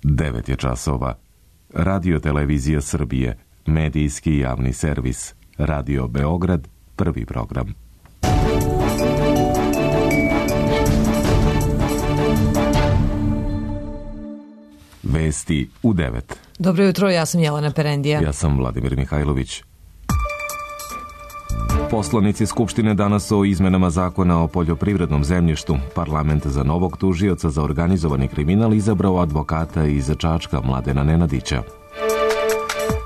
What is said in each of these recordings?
9 je časova. Radio Televizija Srbije, medijski javni servis. Radio Beograd, prvi program. Vesti u 9. Dobro jutro, ja sam Jelena Perendija. Ja sam Vladimir Mihajlović. Poslanici Skupštine danas o izmenama zakona o poljoprivrednom zemljištu. Parlament za novog tužioca za organizovani kriminal izabrao advokata iz Čačka Mladena Nenadića.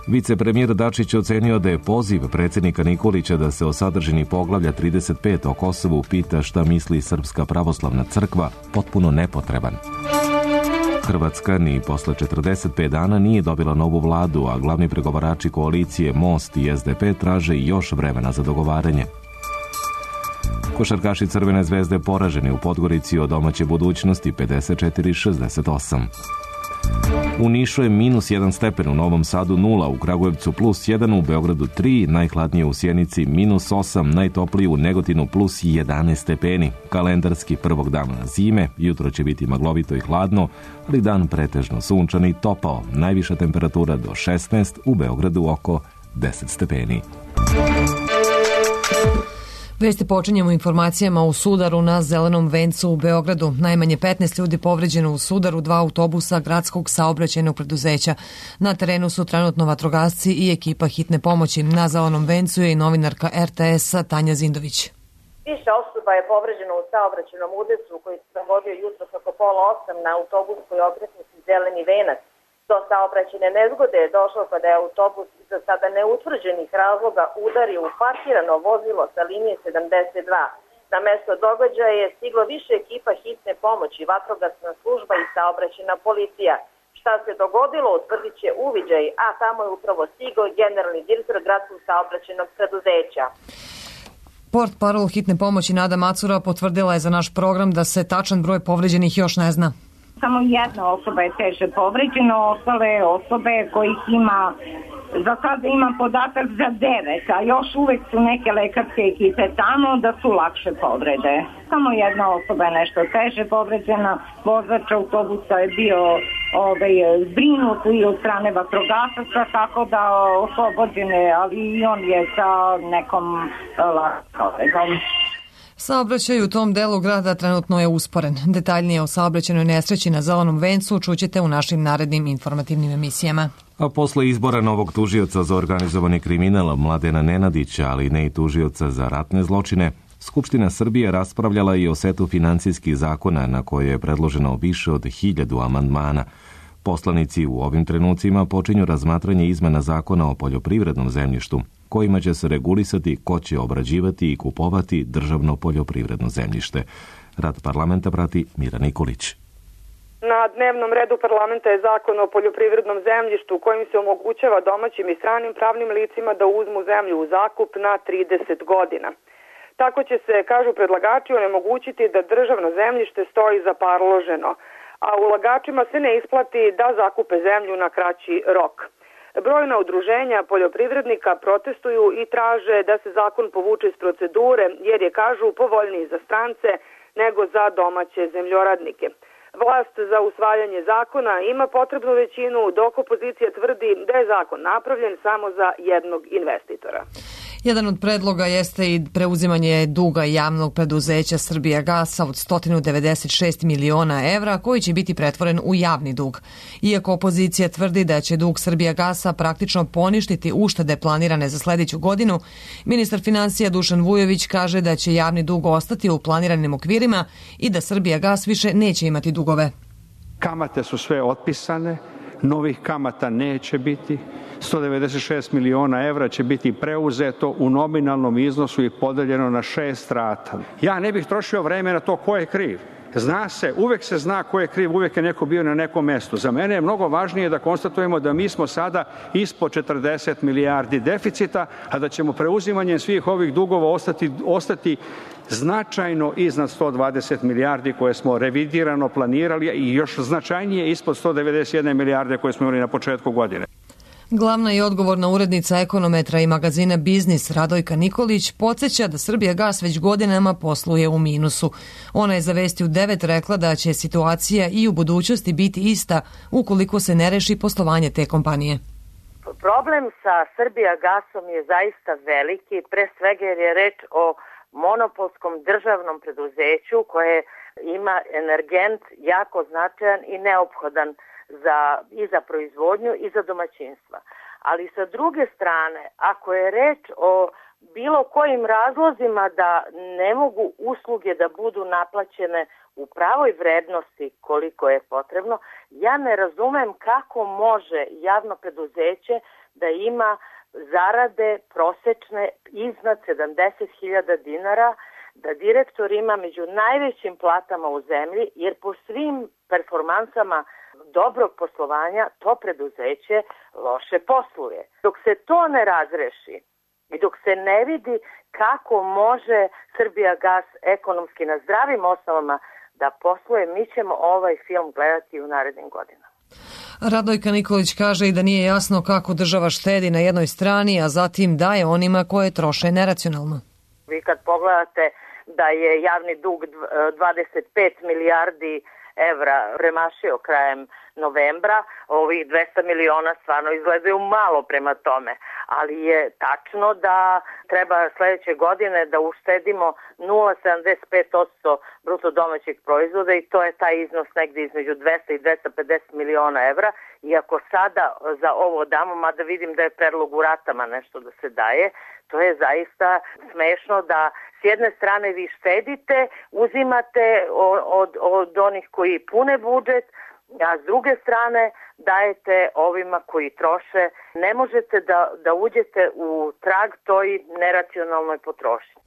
Vicepremijer Dačić ocenio da je poziv predsjednika Nikolića da se o sadržini poglavlja 35 o Kosovu pita šta misli Srpska pravoslavna crkva potpuno nepotreban. Hrvatska ni posle 45 dana nije dobila novu vladu, a glavni pregovarači koalicije Most i SDP traže još vremena za dogovaranje. Košarkaši Crvene zvezde poraženi u Podgorici od domaće budućnosti 54-68. U Nišu je -1 stepen, u Novom Sadu 0, u Kragujevcu +1, u Beogradu 3, najhladnije u Sjenici -8, najtoplije u Negotinu +11 stepeni. Kalendarski prvog dana zime, jutro će biti maglovito i hladno, ali dan pretežno sunčan i topao. Najviša temperatura do 16, u Beogradu oko 10 stepeni. Vesti počinjemo informacijama o sudaru na Zelenom vencu u Beogradu. Najmanje 15 ljudi povređeno u sudaru 2 autobusa gradskog saobraćajnog preduzeća. Na terenu su trenutno vatrogasci i ekipa hitne pomoći. Na Zelenom vencu je i novinarka RTS-a Tanja Zindović. Više osoba je povređeno u saobraćajnom udesu koji se dogodio jutros oko 7:30 na autobuskoj okretnici Zeleni venac. Do saobraćajne nezgode je došlo kada je autobus iz za sada neutvrđenih razloga udario u parkirano vozilo sa linije 72. Na mesto događaja je stiglo više ekipa hitne pomoći, vatrogasna služba i saobraćajna policija. Šta se dogodilo utvrdit će uviđaj, a tamo je upravo stigao generalni direktor gradskog saobraćajnog preduzeća. Portparol hitne pomoći Nada Macura potvrdila je za naš program da se tačan broj povređenih još ne zna. Samo jedna osoba je teže povređena, ostale osobe kojih ima, za sada imam podatak za 9, a još uvek su neke lekarske ekipe tamo da su lakše povrede. Samo jedna osoba je nešto teže povređena, vozač autobusa je bio zbrinut i od strane vatrogasaca, tako da oslobođen je, ali i on je sa nekom lakom povredom. Saobraćaj u tom delu grada trenutno je usporen. Detaljnije o saobraćajnoj nesreći na Zelenom vencu čućete u našim narednim informativnim emisijama. A posle izbora novog tužioca za organizovani kriminal Mladena Nenadića, ali ne i tužioca za ratne zločine, Skupština Srbije raspravljala i o setu finansijskih zakona na koje je predloženo više od 1000 amandmana. Poslanici u ovim trenucima počinju razmatranje izmena zakona o poljoprivrednom zemljištu, kojima će se regulisati ko će obrađivati i kupovati državno poljoprivredno zemljište. Rad parlamenta prati Mira Nikolić. Na dnevnom redu parlamenta je zakon o poljoprivrednom zemljištu kojim se omogućava domaćim i stranim pravnim licima da uzmu zemlju u zakup na 30 godina. Tako će se, kažu predlagači, onemogućiti da državno zemljište stoji zaparloženo, a ulagačima se ne isplati da zakupe zemlju na kraći rok. Brojna udruženja poljoprivrednika protestuju i traže da se zakon povuče iz procedure jer je, kažu, povoljniji za strance nego za domaće zemljoradnike. Vlast za usvajanje zakona ima potrebnu većinu, dok opozicija tvrdi da je zakon napravljen samo za jednog investitora. Jedan od predloga jeste i preuzimanje duga javnog preduzeća Srbijagasa od 196 miliona evra koji će biti pretvoren u javni dug. Iako opozicija tvrdi da će dug Srbijagasa praktično poništiti uštede planirane za sledeću godinu, ministar finansija Dušan Vujović kaže da će javni dug ostati u planiranim okvirima i da Srbijagas više neće imati dugove. Kamate su sve otpisane, novih kamata neće biti. 196 miliona evra će biti preuzeto u nominalnom iznosu i podeljeno na 6 rata. Ja ne bih trošio vreme na to ko je kriv. Zna se, uvek se zna ko je kriv, uvek je neko bio na nekom mestu. Za mene je mnogo važnije da konstatujemo da mi smo sada ispod 40 milijardi deficita, a da ćemo preuzimanjem svih ovih dugova ostati značajno iznad 120 milijardi koje smo revidirano planirali i još značajnije ispod 191 milijarde koje smo imali na početku godine. Glavna i odgovorna urednica Ekonometra i magazina Biznis Radojka Nikolić podsjeća da Srbijagas već godinama posluje u minusu. Ona je za Vesti u 9 rekla da će situacija i u budućnosti biti ista ukoliko se ne reši poslovanje te kompanije. Problem sa Srbijagasom je zaista veliki, pre svega jer je reč o monopolskom državnom preduzeću koje ima energent jako značajan i neophodan i za proizvodnju i za domaćinstva. Ali sa druge strane, ako je reč o bilo kojim razlozima da ne mogu usluge da budu naplaćene u pravoj vrednosti koliko je potrebno, ja ne razumem kako može javno preduzeće da ima zarade prosečne iznad 70.000 dinara, da direktor ima među najvećim platama u zemlji, jer po svim performansama dobrog poslovanja to preduzeće loše posluje. Dok se to ne razreši i dok se ne vidi kako može Srbijagas ekonomski na zdravim osnovama da posluje, mi ćemo ovaj film gledati u narednim godinama. Radojka Nikolić kaže i da nije jasno kako država štedi na jednoj strani, a zatim daje onima koje troše neracionalno. Vi kad pogledate da je javni dug 25 milijardi evra premašio krajem novembra, ovih 200 miliona stvarno izgledaju malo prema tome, ali je tačno da treba sledeće godine da uštedimo 0,75% bruto domaćeg proizvoda i to je taj iznos negde između 200 i 250 miliona evra. Iako sada za ovo damo, mada vidim da je predlog u ratama nešto da se daje, to je zaista smešno da s jedne strane vi štedite, uzimate od onih koji pune budžet, a s druge strane dajete ovima koji troše. Ne možete da uđete u trag toj neracionalnoj potrošnji.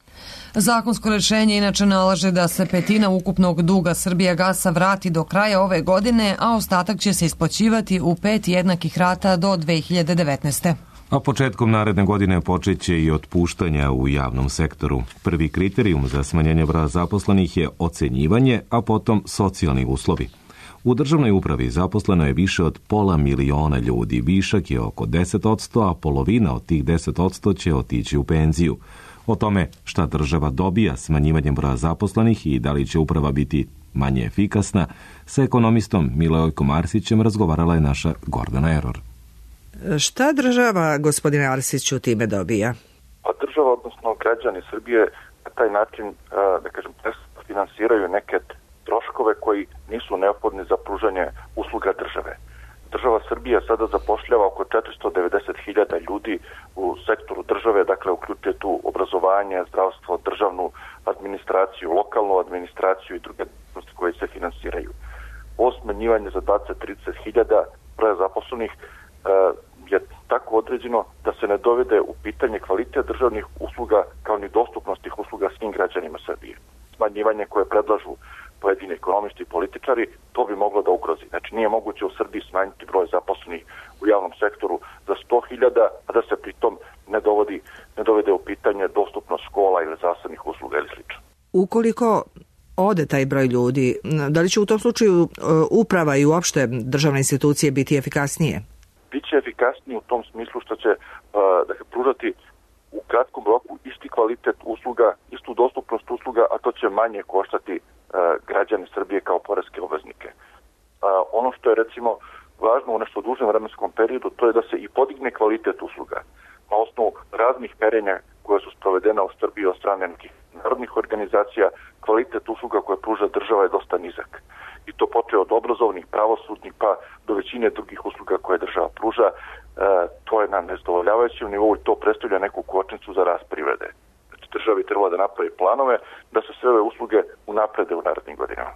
Zakonsko rešenje inače nalaže da se petina ukupnog duga Srbijagasa vrati do kraja ove godine, a ostatak će se isplaćivati u 5 jednakih rata do 2019. A početkom naredne godine počeće i otpuštanja u javnom sektoru. Prvi kriterijum za smanjenje broja zaposlenih je ocenjivanje, a potom socijalni uslovi. U državnoj upravi zaposleno je više od 500.000 ljudi, višak je oko 10%, a polovina od tih 10% će otići u penziju. O tome šta država dobija smanjivanjem broja zaposlenih i da li će uprava biti manje efikasna, sa ekonomistom Milojkom Arsićem razgovarala je naša Gordana Eror. Šta država, gospodine Arsiću, time dobija? Pa država, odnosno građani Srbije, na taj način, da kažem, finansiraju neke troškove koji nisu neophodni za pružanje usluga države. Država Srbija sada zapošljava oko 490.000 ljudi u sektoru države, dakle uključuje tu obrazovanje, zdravstvo, državnu administraciju, lokalnu administraciju i druge djelatnosti koje se finansiraju. Ovo smanjivanje za 20-30.000 broja zaposlenih je tako određeno da se ne dovede u pitanje kvalitet državnih usluga kao ni dostupnost tih usluga svim građanima Srbije. Smanjivanje koje predlažu pojedini ekonomisti i političari, to bi moglo da ugrozi. Znači nije moguće u Srbiji smanjiti broj zaposlenih u javnom sektoru za 100.000, a da se pritom ne dovede u pitanje dostupnost škola ili zdravstvenih usluga ili slično. Ukoliko ode taj broj ljudi, da li će u tom slučaju uprava i uopšte državne institucije biti efikasnije? Biće efikasnije u tom smislu što će pružati u kratkom roku isti kvalitet usluga, istu dostupnost usluga, a to će manje koštati građani Srbije kao poreske obveznike. Ono što je recimo važno u nešto dužem vremenskom periodu, to je da se i podigne kvalitet usluga. Na osnovu raznih merenja koje su sprovedena u Srbiji od strane nekih narodnih organizacija, kvalitet usluga koje pruža država je dosta nizak. I to počeo od obrazovnih, pravosudnih pa do većine drugih usluga koje država pruža. To je na nezadovoljavajućem nivou i to predstavlja neku kočnicu za rast privrede. Znači državi trebala da napravi planove da se sve ove usluge unaprede u narednim godinama.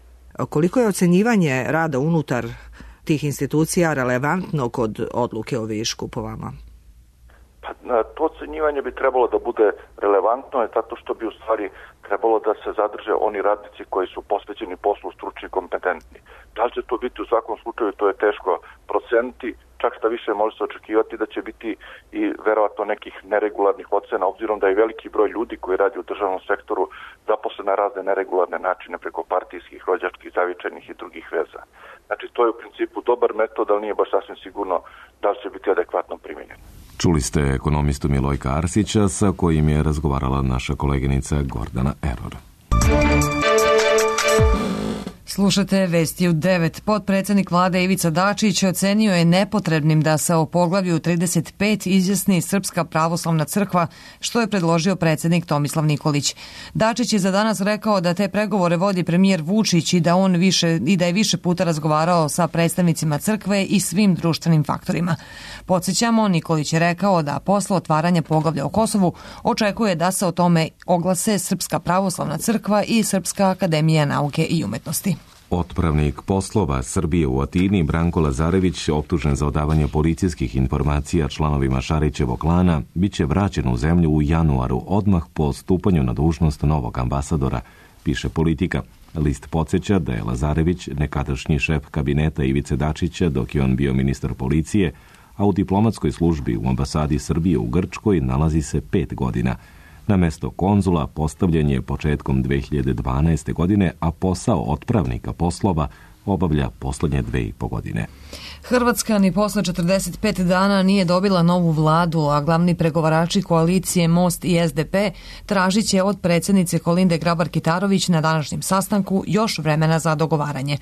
Koliko je ocenjivanje rada unutar tih institucija relevantno kod odluke o višku po vama? Pa, to ocenjivanje bi trebalo da bude relevantno, zato što bi u stvari trebalo da se zadrže oni radnici koji su posvećeni poslu, stručni i kompetentni. Da li će to biti u svakom slučaju, to je teško proceniti, čak šta više može se očekivati da će biti i verovatno nekih neregularnih ocena, obzirom da je veliki broj ljudi koji radi u državnom sektoru zaposlen na razne neregularne načine preko partijskih, rođačkih, zavičajnih i drugih veza. Znači, to je u principu dobar metod, ali nije baš sasvim sigurno da li će biti adekvatno primjenjen. Čuli ste ekonomistu Milojka Arsića, sa kojim je razgovarala naša koleginica Gordana Eror. Slušate Vesti u 9. Potpredsednik vlade Ivica Dačić ocenio je nepotrebnim da se o poglavlju 35 izjasni Srpska pravoslavna crkva, što je predložio predsednik Tomislav Nikolić. Dačić je za danas rekao da te pregovore vodi premijer Vučić i da je više puta razgovarao sa predstavnicima crkve i svim društvenim faktorima. Podsjećamo, Nikolić je rekao da posle otvaranja poglavlja o Kosovu očekuje da se o tome oglase Srpska pravoslavna crkva i Srpska akademija nauke i umetnosti. Otpravnik poslova Srbije u Atini Branko Lazarević, optužen za odavanje policijskih informacija članovima Šarićevog klana, biće vraćen u zemlju u januaru, odmah po stupanju na dužnost novog ambasadora, piše Politika. List podsjeća da je Lazarević nekadašnji šef kabineta Ivice Dačića dok je on bio ministar policije, a u diplomatskoj službi u ambasadi Srbije u Grčkoj nalazi se 5 godina. Na mesto konzula postavljen je početkom 2012. godine, a posao otpravnika poslova obavlja poslednje 2,5 godine. Hrvatska ni posle 45 dana nije dobila novu vladu, a glavni pregovarači koalicije Most i SDP tražit će od predsjednice Kolinde Grabar-Kitarović na današnjem sastanku još vremena za dogovaranje.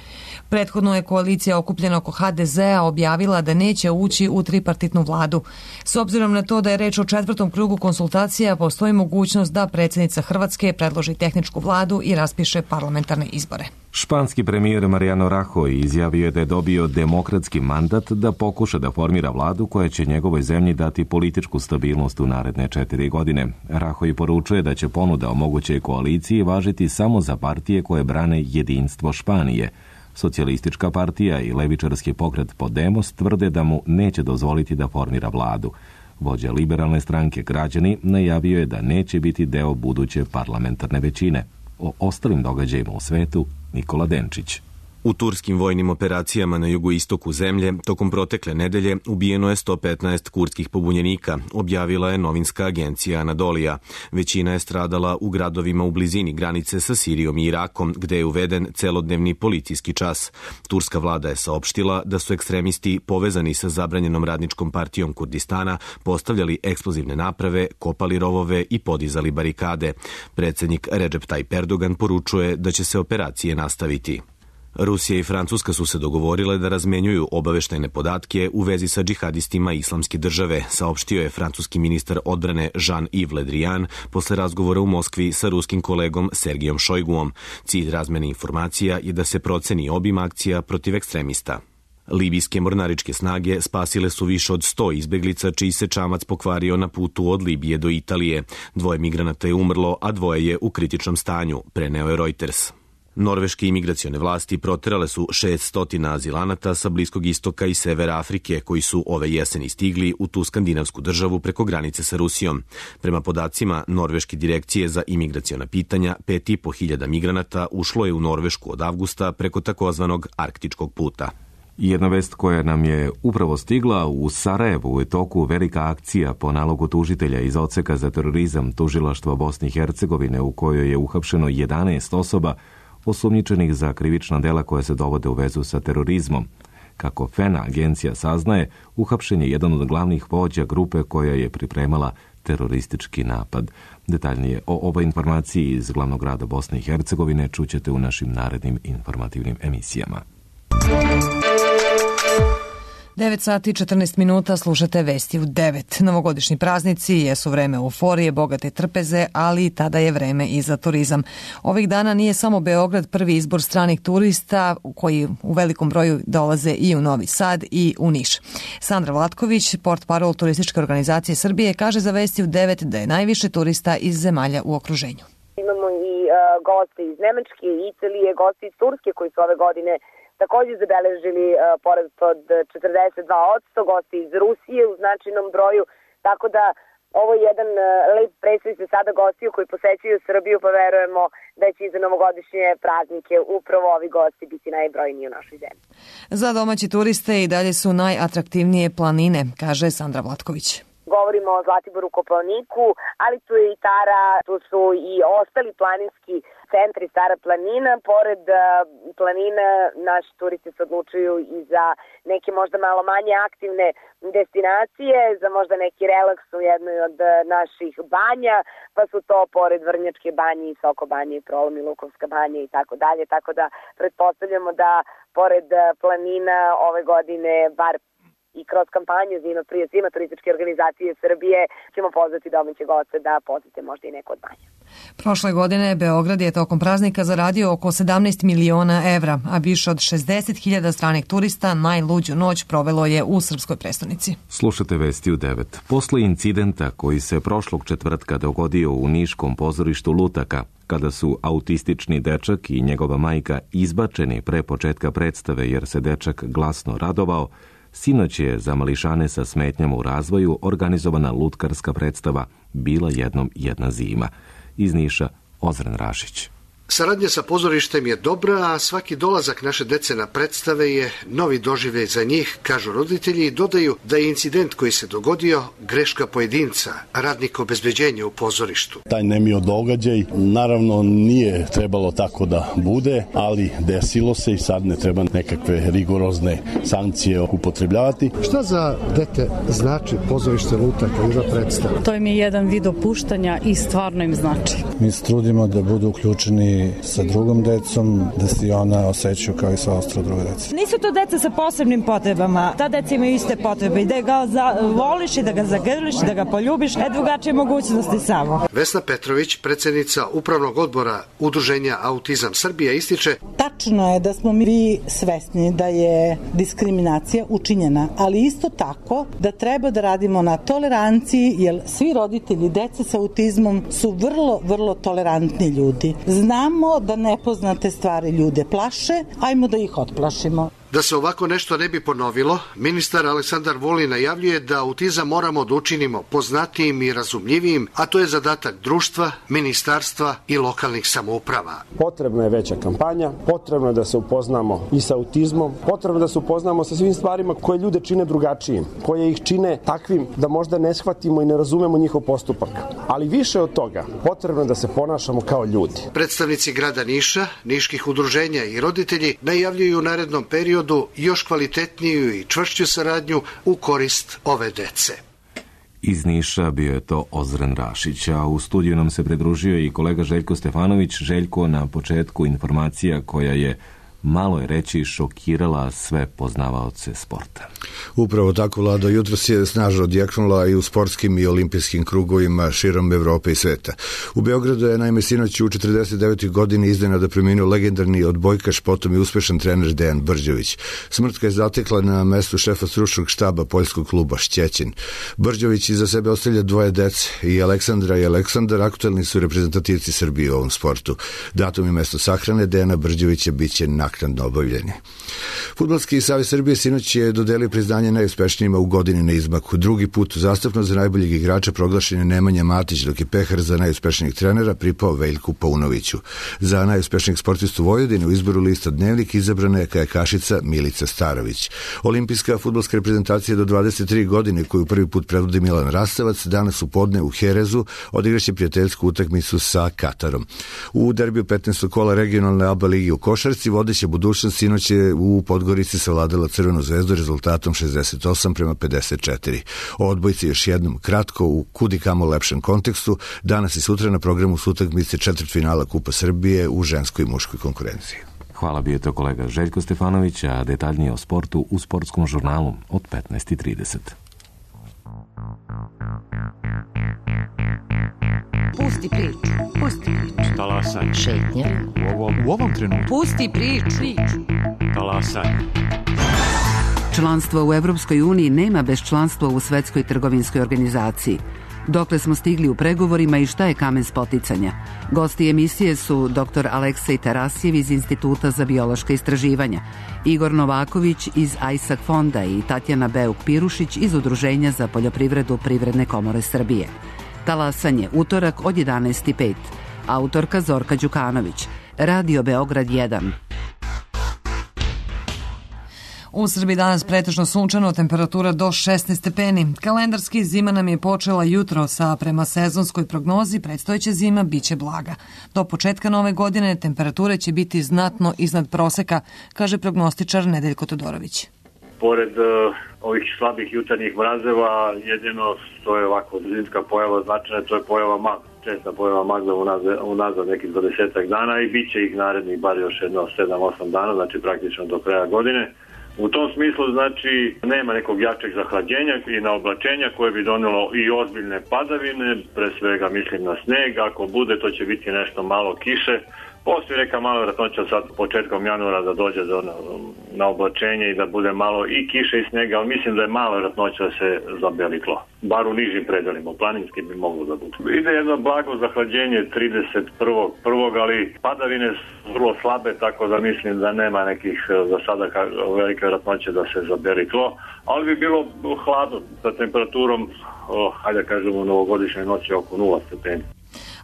Prethodno je koalicija okupljena oko HDZ-a objavila da neće ući u tripartitnu vladu. S obzirom na to da je reč o 4. krugu konsultacija, postoji mogućnost da predsjednica Hrvatske predloži tehničku vladu i raspiše parlamentarne izbore. Španski premijer Mariano Rajoy izjavio je da je dobio demokratski mandat da pokuša da formira vladu koja će njegovoj zemlji dati političku stabilnost u naredne 4 godine. Rajoy poručuje da će ponuda o mogućoj koaliciji važiti samo za partije koje brane jedinstvo Španije. Socijalistička partija i levičarski pokret Podemos tvrde da mu neće dozvoliti da formira vladu. Vođa liberalne stranke Građani najavio je da neće biti deo buduće parlamentarne većine. O ostalim događajima u svetu Nikola Denčić. U turskim vojnim operacijama na jugoistoku zemlje tokom protekle nedelje ubijeno je 115 kurdskih pobunjenika, objavila je novinska agencija Anadolija. Većina je stradala u gradovima u blizini granice sa Sirijom i Irakom, gde je uveden celodnevni policijski čas. Turska vlada je saopštila da su ekstremisti povezani sa zabranjenom radničkom partijom Kurdistana postavljali eksplozivne naprave, kopali rovove i podizali barikade. Predsjednik Recep Tayyip Erdogan poručuje da će se operacije nastaviti. Rusija i Francuska su se dogovorile da razmenjuju obaveštajne podatke u vezi sa džihadistima Islamske države, saopštio je francuski ministar odbrane Jean-Yves Le Drian posle razgovora u Moskvi sa ruskim kolegom Sergijom Šojguom. Cilj razmene informacija je da se proceni obim akcija protiv ekstremista. Libijske mornaričke snage spasile su više od 100 izbeglica čiji se čamac pokvario na putu od Libije do Italije. 2 migranata je umrlo, a 2 je u kritičnom stanju, preneo je Reuters. Norveške imigracione vlasti proterale su 600 azilanata sa Bliskog istoka i severa Afrike koji su ove jeseni stigli u tu skandinavsku državu preko granice sa Rusijom. Prema podacima Norveške direkcije za imigraciona pitanja, 5.500 migranata ušlo je u Norvešku od avgusta preko takozvanog arktičkog puta. Jedna vest koja nam je upravo stigla: u Sarajevu je toku velika akcija po nalogu tužitelja iz odseka za terorizam tužilaštva Bosne i Hercegovine u kojoj je uhapšeno 11 osoba osumnjičenih za krivična dela koja se dovode u vezu sa terorizmom. Kako FENA agencija saznaje, uhapšen je jedan od glavnih vođa grupe koja je pripremala teroristički napad. Detaljnije o ovoj informaciji iz glavnog grada Bosne i Hercegovine čućete u našim narednim informativnim emisijama. 9 sati i 14 minuta, slušate Vesti u 9. Novogodišnji praznici jesu vreme euforije, bogate trpeze, ali tada je vreme i za turizam. Ovih dana nije samo Beograd prvi izbor stranih turista koji u velikom broju dolaze i u Novi Sad i u Niš. Sandra Vlatković, portparol Turističke organizacije Srbije, kaže za Vesti u 9 da je najviše turista iz zemalja u okruženju. Imamo i goste iz Nemačke, Italije, goste iz Turske koji su ove godine također zabeležili porast od 42%, gosti iz Rusije u značajnom broju, tako da Ovo je jedan lep predstav se sada gostiju koji posećuju Srbiju, pa verujemo da će i za novogodišnje praznike upravo ovi gosti biti najbrojniji u našoj zemlji. Za domaći turiste i dalje su najatraktivnije planine, kaže Sandra Vlatković. Govorimo o Zlatiboru, Kopaoniku, ali tu je i Tara, tu su i ostali planinski centri, Stara planina. Pored planina naši turisti se odlučuju i za neke možda malo manje aktivne destinacije, za možda neki relaks u jednoj od naših banja, pa su to pored Vrnjačke banje i Soko banje i Prolom i Lukovska banja i tako dalje. Tako da pretpostavljamo da pored planina ove godine, bar i kroz kampanju Zima turističke organizacije Srbije, ćemo pozvati domaće goste da posete možda i neko od banja. Prošle godine Beograd je tokom praznika zaradio oko 17 miliona evra, a više od 60.000 stranih turista najluđu noć provelo je u srpskoj prestonici. Slušate vesti u 9. Posle incidenta koji se prošlog četvrtka dogodio u niškom pozorištu Lutaka, kada su autistični dečak i njegova majka izbačeni pre početka predstave jer se dečak glasno radovao, sinoć je za mališane sa smetnjama u razvoju organizovana lutkarska predstava Bila jednom jedna zima. Iz Niša, Ozren Rašić. Saradnja sa pozorištem je dobra, a svaki dolazak naše dece na predstave je novi doživljaj za njih, kažu roditelji i dodaju da je incident koji se dogodio greška pojedinca, radnika obezbeđenja u pozorištu. Taj nemio događaj naravno nije trebalo tako da bude, ali desilo se i sad ne treba nekakve rigorozne sankcije upotrebljavati. Šta za dete znači pozorište Lutaka i za predstavu? To im je jedan vid opuštanja i stvarno im znači. Mi se trudimo da budu uključeni sa drugom decom, da se i ona osjećaju kao i sva ostala druga deca. Nisu to deca sa posebnim potrebama, ta deca imaju iste potrebe i da ga voliš i da ga zagrliš, da ga poljubiš, drugačije mogućnosti samo. Vesna Petrović, predsjednica Upravnog odbora Udruženja Autizam Srbija, ističe: Tačno je da smo mi svesni da je diskriminacija učinjena, ali isto tako da treba da radimo na toleranciji, jer svi roditelji dece sa autizmom su vrlo, vrlo tolerantni ljudi. Znamo da nepoznate stvari ljude plaše, ajmo da ih otplašimo. Da se ovako nešto ne bi ponovilo, ministar Aleksandar Vulin najavljuje da autizam moramo da učinimo poznatijim i razumljivijim, a to je zadatak društva, ministarstva i lokalnih samouprava. Potrebna je veća kampanja, potrebno je da se upoznamo i sa autizmom, potrebno da se upoznamo sa svim stvarima koje ljude čine drugačijim, koje ih čine takvim da možda ne shvatimo i ne razumemo njihov postupak. Ali više od toga, potrebno je da se ponašamo kao ljudi. Predstavnici grada Niša, niških udruženja i roditelji najavljuju u narednom periodu još kvalitetniju i čvršću saradnju u korist ove dece. Iz Niša bio je to Ozren Rašić, a u studiju nam se pridružio i kolega Željko Stefanović. Željko, na početku informacija koja je, malo je reći, šokirala sve poznavaoce sporta. Upravo tako, Vlado, jutros je snažno odjeknula i u sportskim i olimpijskim krugovima širom Evrope i sveta. U Beogradu je naime sinoć u 49. godini iznenada preminuo legendarni odbojkaš, potom i uspešan trener Dejan Brđović. Smrt ga je zatekla na mestu šefa stručnog štaba poljskog kluba Šćećin. Brđović iza sebe ostavlja dvoje dece, i Aleksandra i Aleksandar aktuelni su reprezentativci Srbije u ovom sportu. Datum i mesto sahrane Dejana Brđovića biće naknadno obavljeni. Fudbalski savez Srbije sinoć je dodelio priznanje najuspešnijima u godini na izmaku. Drugi put uzastopno za najboljeg igrača proglašen je Nemanja Matić, dok je pehar za najuspešnijeg trenera pripao Veljku Paunoviću. Za najuspešnijeg sportistu Vojvodine u izboru lista Dnevnik izabrana je kajakašica Milica Starović. Olimpijska fudbalska reprezentacija do 23 godine, koju prvi put predvodi Milan Rastavac, danas u podne u Herezu odigraće prijateljsku utakmicu sa Katarom. U derbiju 15. kola regionalne ABA ligi u košarci vodeća budućnost sinoć je u Podgorici savladala Crvenu zvezdu rezultatom 68-54. O odbojci još jednom kratko u kudikamo lepšem kontekstu. Danas i sutra na programu su utakmice četvrtfinala Kupa Srbije u ženskoj i muškoj konkurenciji. Hvala, bio je to kolega Željko Stefanović, a detaljnije o sportu u sportskom žurnalu od 15:30. Pusti priču. Pusti priču. Talasaj. Šetnja. U ovom trenutku. Pusti priču. Talasaj. Članstvo u Evropskoj uniji nema bez članstva u Svetskoj trgovinskoj organizaciji. Dokle smo stigli u pregovorima i šta je kamen spoticanja? Gosti emisije su dr. Aleksej Tarasijev iz Instituta za biološka istraživanja, Igor Novaković iz AISAK fonda i Tatjana Beuk-Pirušić iz Udruženja za poljoprivredu Privredne komore Srbije. Talasanje, utorak od 11:05. Autorka Zorka Đukanović. Radio Beograd 1. U Srbiji danas pretežno sunčano, temperatura do 16 stepeni. Kalendarski zima nam je počela jutro, a prema sezonskoj prognozi predstojeća zima biće blaga. Do početka nove godine temperature će biti znatno iznad proseka, kaže prognostičar Nedeljko Todorović. Pored ovih slabih jutarnjih mrazeva, jedino što je ovako zimska pojava značajna, to je pojava magla. Česta pojava magla unazad nekih 20 dana i bit će ih narednih bar još jedno 7-8 dana, znači praktično do kraja godine. U tom smislu, znači, nema nekog jačeg zahlađenja i naoblačenja koje bi donelo i ozbiljne padavine, pre svega mislim na sneg, ako bude to će biti nešto malo kiše. Postoji neka mala vjerojatnoća sad početkom januara da dođe do naoblačenja i da bude malo i kiše i snega, ali mislim da je mala vjerojatnoća da se zabeli tlo. Bar u nižim predelima, u planinskim bi moglo da bude. Ide jedno blago zahlađenje 31.1. ali padavine su vrlo slabe, tako da mislim da nema nekih za sada velike vjerojatnoće da se zabeli tlo, ali bi bilo hladno sa temperaturom, hajde da kažemo, u novogodišnjoj noći oko 0 stepeni.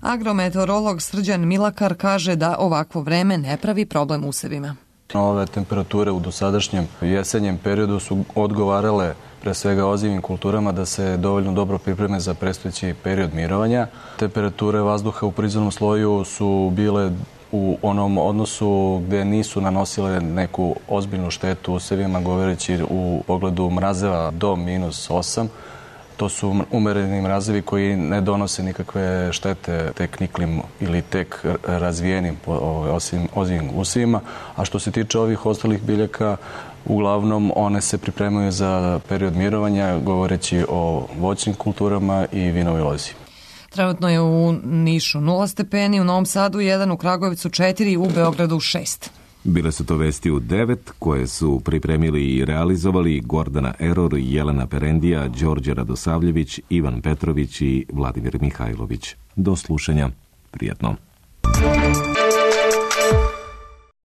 Agrometeorolog Srđan Milakar kaže da ovakvo vreme ne pravi problem usevima. Ove temperature u dosadašnjem jesenjem periodu su odgovarale pre svega ozimim kulturama da se dovoljno dobro pripreme za predstojeći period mirovanja. Temperature vazduha u prizemnom sloju su bile u onom odnosu gde nisu nanosile neku ozbiljnu štetu usevima, govoreći u pogledu mrazeva do -8. To su umereni mrazevi koji ne donose nikakve štete tek niklim ili tek razvijenim ozimim usevima. A što se tiče ovih ostalih biljaka, uglavnom one se pripremaju za period mirovanja, govoreći o voćnim kulturama i vinovoj lozi. Trenutno je u Nišu 0 stepeni, u Novom Sadu 1, u Kragujevcu 4, u Beogradu 6. Bile su to vesti u 9, koje su pripremili i realizovali Gordana Eror, Jelena Perendija, Đorđe Radosavljević, Ivan Petrović i Vladimir Mihajlović. Do slušanja. Prijetno.